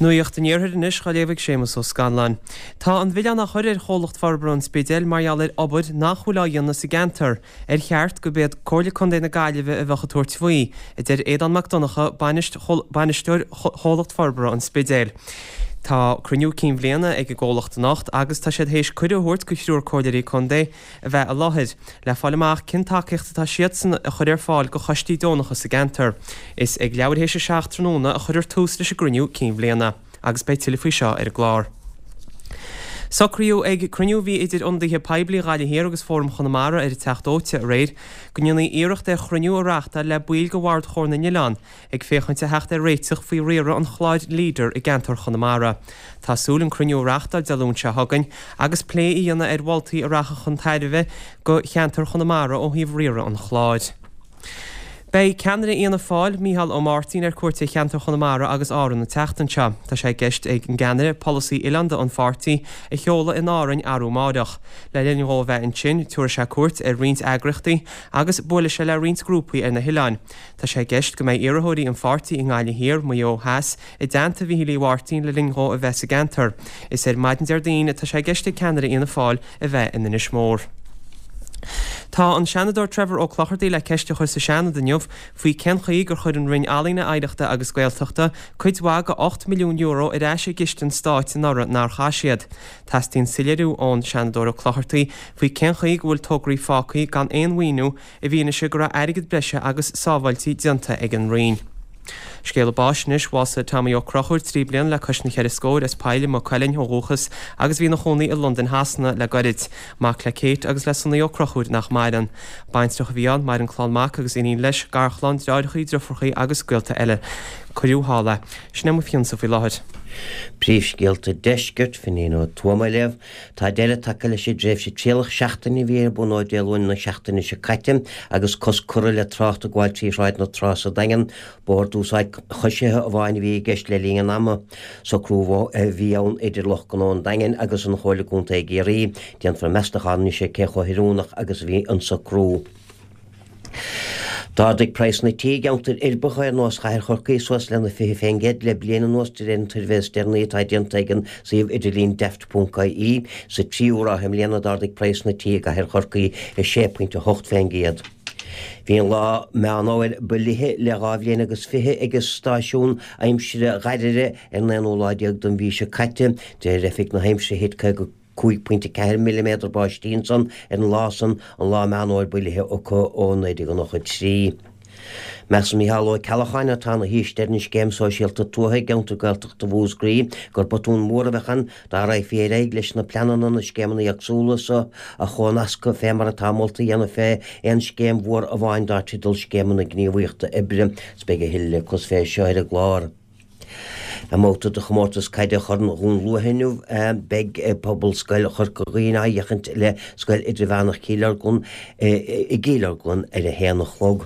Nuacht an Iarthair anois á léamh ag Séamus Ó Scanláin. Tá an milleán á chur ar Chomhlacht Forbartha an Spidéil mar gheall ar obair nach bhfuil á dhéanamh sa gceantar, ar cheart gurb iad Comhairle Contae na Gaillimhe a bheadh ag tabhairt faoi, a deir Aodán Mac Donncha, bainisteoir Chomhlacht Forbartha an Spidéil. Tá cruinniú cinn bhliana ag an gcomhlacht anocht agus tá siad théis cuireadh a thabhairt go thriúr comhairleoirí contae a bheith i láthair, le fáil amach cén tacaíocht atá siadsan a chur ar fáil go choistí deonacha sa gceantar. Is ag leathuair théis a 7 tráthnóna a chuirfear tús leis an gcruinniú cinn bhliana, agus beidh tuilleadh faoi seo ar an gclár. Socraíodh ag cruinniú a bhí idir ionadaithe poiblí Ghaillimh Thiar agus Fóram Chonamara ar an Teach Dóite aréir go ndéanfaí iarracht ar chruinniú a reáchtáil le baill de Bhord Chomhar na nOileán ag féachaint a theacht ar réiteach faoi riaradh an chláir Leader i gceantar Chonamara. Tá súil an cruinniú a reáchtáil Dé Luain seo chugainn agus plé a dhéanamh ar mholtaí a rachadh chun tairbhe go cheantar Chonamara ó thaobh riaradh an chláir. Beidh ceannaire Fhianna Fáil, Micheál Ó Máirtín ar cuairt ar cheantar Chonamara agus Árann an tseachtain seo. Tá sé i gceist ag an gceannaire polasaí oileánda an pháirtí a sheoladh in Árainn arú amáireach. Le linn dhó a bheith ansin, tabharfaidh sé cuairt ar roinnt eagraíochtaí agus buailfidh sé le roinnt grúpaí ar na hoileáin. Tá sé i gceist go mbeidh iarrthóirí an pháirtí i nGaillimh Thiar, Maigh Eo Theas, i dteannta Mhíchíl Uí Mháirtín le linn dhó a bheith sa gceantar. Is ar maidin Déardaoin atá sé i gceist ag ceannaire Fhianna Fáil a bheith in Inis Mór. Tá an Seanadóir Trevor Ó Clochartaigh le ceist a chur sa Seanad inniu faoi cén chaoi gur chuir an Roinn Ealaíne, Oidhreachta agus Gaeltachta cuid mhaith de €8 milliún ar ais i gciste an stáit anuraidh nár chaith siad. Teastaíonn soiléiriú ón Seanadóir Ó Clochartaigh faoi cén chaoi go bhfuil tograí fágtha gan aon mhaoiniú i bhfianaise go raibh airgead breise agus sábháiltí déanta ag an Roinn. Scéala báis anois, bhásaigh Tommy Ó Conchúir, 3 bliana le cois na cheithre scóir, as Poill i Maigh Cuilinn ó dhúchas agus bhí ina chónaí i Londain Shasana le goirid. Mac le Kate agus le Sonny Ó Conchúir nach maireann. Baintreach a bhí ann, maireann clann mac agus iníon leis, garchlann, deartháireacha, driofúracha agus gaolta eile. Cuireadh thall é. Sin é mo phionsa faoi láthair. Príomhscéalta Deiscirt, Finghin Ó Tuama á léamh. Tá deireadh tagtha leis an dtréimhse trialach seachtaine a bhí ar bun ó Dé Luain na seachtaine seo caite agus cosc curtha le trácht ag gabháil trí Shráid na Trá sa Daingean. Bóthar d'úsáid choisithe amháin a bhí i gceist le linn an ama. Socrú a bhí ann idir lucht gnó an Daingin agus an Chomhairle Contae i gCiarraí. Déanfar meastachán anois ar cé chomh hoiriúnach agus a bhí an socrú. D'ardaigh praghsanna tí i gceantair uirbeacha ar nós Chathair Chorcaí suas lena 20% le bliain anuas de réir an tsuirbhé is deireanaí atá déanta ag an suíomh idirlín Daft.ie. Sa tríú ráithe i mbliana d'ardaigh praghsanna tí i gCathair Chorcaí 6.8%. Bhí an lá Meán Fhómhair ba fhliche le dhá bhliain agus fiche ag an stáisiún aimsire ghairire ar an aonú lá déag den mhí seo caite. De réir Oifig na hAimsire thit 55.4 milliméadar báistí ansan ar an lá san, an lá Meán Fhómhair ba fhliche acu ó 1993. Measann Micheál Ó Ceallacháin, atá ina shaoiste ar an Scéim Sóisialta Tuaithe i gceantar Gaeltachta Mhúscraí, gur botún mór a bheadh ann dá raghfaí ar aghaidh leis na pleananna na scéimeanna éagsúla so a chomhnascadh fé mar atá molta a dhéanamh fé aon scéim mhór amháin dar teideal Scéimeanna Gníomhaíochta Oibre. 'S beidh a thuilleadh le clos fé seo ar an gclár. I mbabhta de chomórtas caide Chorn Dhún Lúiche inniu, beidh Pobalscoil Chorca Dhuibhne á fhéachaint le Scoil Idirmheánach Chill Orglan i gCill Orglan ar a haon a chlog.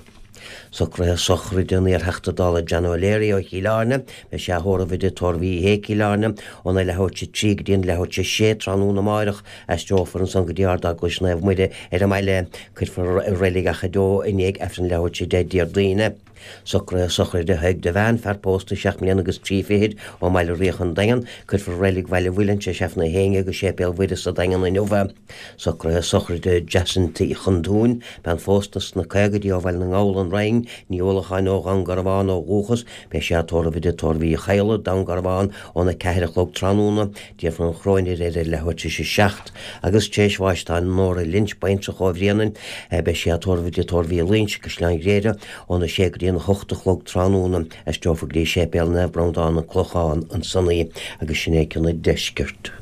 Socruithe sochraide an iar-Theachta Dála John O'Leary ó Chill Airne, beidh sé á thórramh i dTigh Tórraimh Uí Shé, Cill Airne, óna leathuair tar éis a 3 go dtí an leathuair tar éis a 6 tráthnóna amáireach. Aistreofar ansan go dtí Ard-Eaglais Naomh Muire ar an mbaile. Cuirfear i Reilig Achadh Eo i ndiaidh Aifreann leathuair tar éis a 10 Déardaoin. Socruithe sochraide Thaidhg Devane, fear pósta seacht mbliana agus trí fichid, ó mBaile Riach an Daingean. Cuirfear i Reilig Bhaile Mhuilinn tar éis Aifreann a haon dhéag i Séipéal Mhuire sa Daingean inniu é. Socruithe sochraide Jacinta Uí Chonduain, bean phósta sna caogaidí ó Bhaile na nGall, An Rinn, Ní Uallacháin ó Dhún Garbhán ó dhúchas. Beidh sí á tórramh i dTigh Tórraimh Uí Chadhla, Dún Garbhán, óna ceathair a chlog tráthnóna. Déanfar an chróinéir air ar leathuair tar éis a 7 agus tar éis bháis tá Nóra Lynch, baintreach ó Bhréanainn, beidh sí á tórramh i dTigh Tórraimh Uí Loingsigh, Caisleán Ghriaire, óna 6 go dtí an 8 a chlog tráthnóna. Aistreofar go dtí Séipéal Naomh Breandán, An Clochán, ansan í agus sin é cionn an deiscirt.